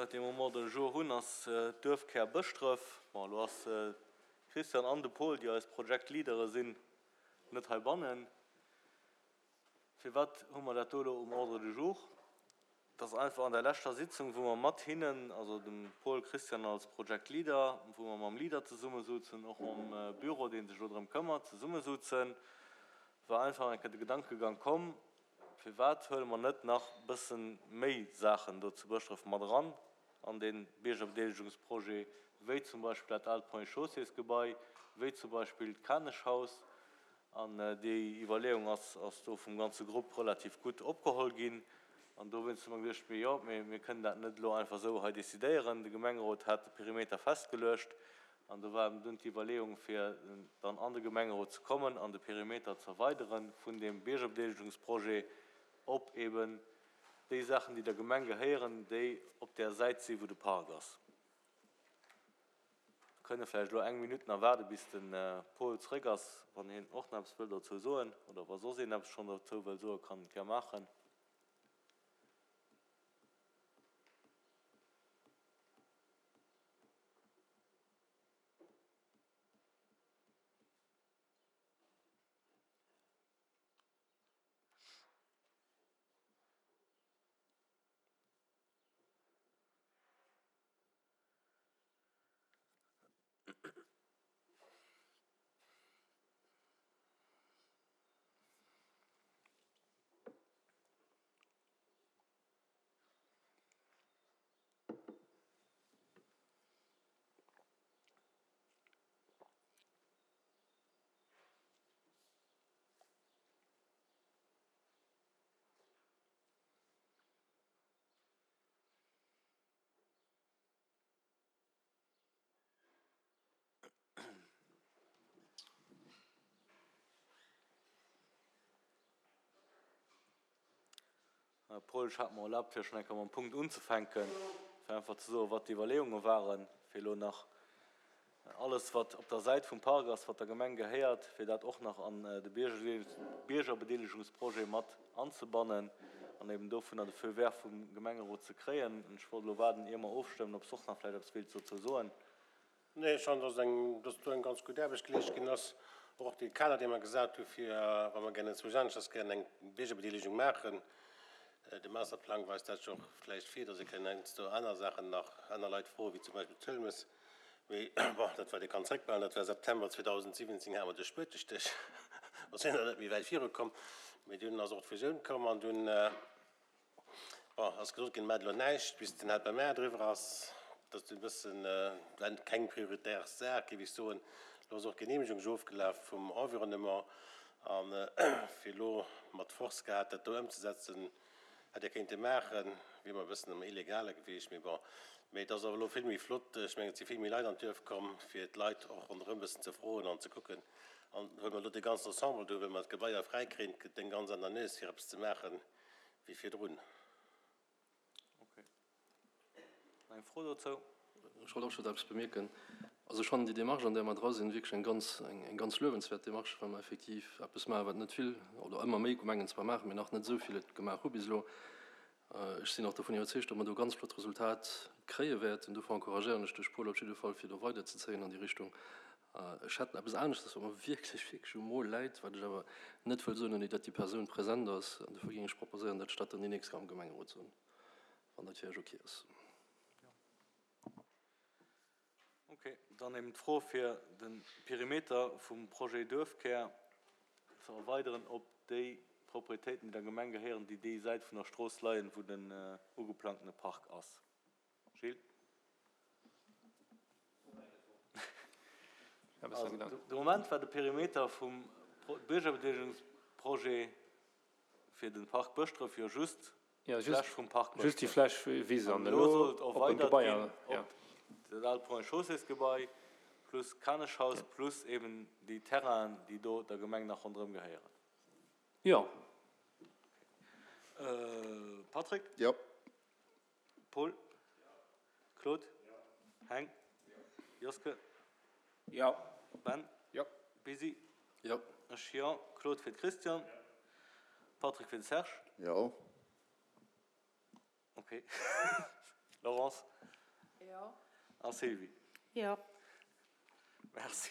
Wat dee Moment de jour hunn, ass d'Duerfkär Bëschdref. Bon, elo ass de Christian an de Paul, déi eis Project Leadere sinn, net heibannen. Firwat hu mer dat do elo um Ordre du jour? Et ass einfach an der leschter Sitzung, wou mer mat hinnen, also dem Paul, Christian als Project Leader, wou mer mam Leader zesummesouzen, och mam Büro, dee sech elo drëm këmmert, zesummesouzen, war einfach eng Kéier de Gedankegang komm, Firwat huele mer net nach bësse méi Saachen do zu Bëschdref mat eran an dee Biergerbedeelegungsprojet, wéi zum Beispill dat aalt Ponts et Chaussées-Gebai, wéi zum Beispill d'Kaneschhaus? An déi Iwwerleeung ass ass do vum ganze Grupp relativ gutt opgeholl ginn. An dowéinst hu mer geduecht, Mee jo, mee mir kënnen dat net elo einfach esou hei decidéieren. De Gemengerot hat de Perimeter festgeluecht An do war eben dunn d'Iwwerleeung, fir dann an de Gemengerot ze kommen an de Perimeter ze erweidere vun deem Biergerbedeelegungsprojet op eben déi Saachen, déi der Gemeng gehéieren, déi op där Säit si wou de Park ass. Mir kënne vläicht elo eng Minutt nach waarde bis de Paul zréck ass, wann hien och nach eppes wëll dozou soen oder wa soss een eppes schonn dozou wëll soen, kann en et gär maachen. Paul, ech hat mer erlaabt, fir schonn eng Kéier mam Punkt unzefänken, fir einfach ze soen, wat d'Iwwerleeunge waren, fir elo nach alles, wat op der Säit vum Park ass, wat der Gemeng gehéiert, fir dat och nach an de Biergerbedeelegungsprojet mat anzebannen an eben dovunner de Feu vert vum Gemengerot ze kréien. Ech wollt elo waarden, ier mer ofstëmmen, ob s de och nach vläicht eppes wéilts dozou soen. Nee, ech fannen, dass eng, dass do eng ganz gutt Aarbecht geleescht ginn ass. Och dee Kader, dee mer gesat hu fir, wa mer gären zu Jänschers gären eng Biergerbedeelegung maachen, de Masterplang weist dat jo och vläicht vir, dass ee kënn heiansdo aner Saachen nach, aner Leit froen, wéi zum Beispill d'Hëlmes. Mee bon, dat wat ee kann zréckbehalen, dat war September 2017, hate mer de Spuetestéch, do si mer net méi wäit virukomm. Mee dunn ass och d'Fusioun komm an dunn, Bon, ass gesot ginn, maacht elo näischt, bis den Helpermaire driwwer ass. Dat ass e bëssen, war keng prioritär Saach, géif ech soen. Elo ass och d'Geneemegung scho ofgelaf vum Environnement. A fir elo mat Force gehat dat do ëmzesetzen, hätt ee kéinte maachen, wier mer e bëssen am Illegale gewiescht. Mee bon, mee et ass awer elo vill méi flott. Ech mengen, et si vill méi Leit an d'Duerf komm, fir d'Leit och ronderëm e bëssen ze froen an ze kucken. An well mer elo dee ganzen Ensemble do, well mer d'Gebaier fräikréien, gëtt eng ganz aner Nues, fir eppes ze maachen. wéi virdrun. Ok. Nach eng Fro dozou? Ech wollt och just eppes bemierken. Also ech fannen déi Démarche, an där mer dra sinn, wierklech eng ganz, eng ganz luewenswäert Démarche, well mer effektiv eppes maachen, wat net vill oder ëmmer méi Gemengen zwar maachen, mee nach net esou vill et gemaach hu bis elo. Ech sinn och dovun iwwerzeegt, datt mer do ganz flott Resultat kréie wäerten. Dofir encouragéieren ech de Paul op jidde Fall, fir do weiderzezéien an déi Richtung. Ech hätt eppes aneschtes, wat mer wierklech, wierklech um Mo läit, wat ech awer net wëll soen, ouni datt déi Persoun present ass. An dofir géing ech proposéieren, datt ech dat dann déi nächst Kéier am Gemengerot soen, wann dat fir Iech ok ass. Ok, dann eben d'Fro, fir de Perimeter vum Projet Duerfkär ze erweideren op déi Proprietéiten, déi der Gemeng gehéieren, déi déi Säit vun der Strooss leien, wou den ugeplangtene Park ass. Gilles? Also, de Moment war de Perimeter vum Biergerbedeelegungsprojet fir de Park Bëschdref jo just d'Fläch vum Park Bëschdref. Just déi Fläch Wise an elo soll et erweidert ginn op dat aalt Ponts et Chaussées-Gebai plus Kaneschhaus plus eben déi Terrainen, déi do der Gemeng nach ronderëm gehéieren. Jo. Patrick? Jo. Paul? Claude? Heng? Joske? Jo. Ben? Jo. Busy? Jo. Ech jo. Claude fir de Christian. Patrick fir de Serge. Jo. Ok. Laurence? Jo. A Sylvie? Jo. Merci.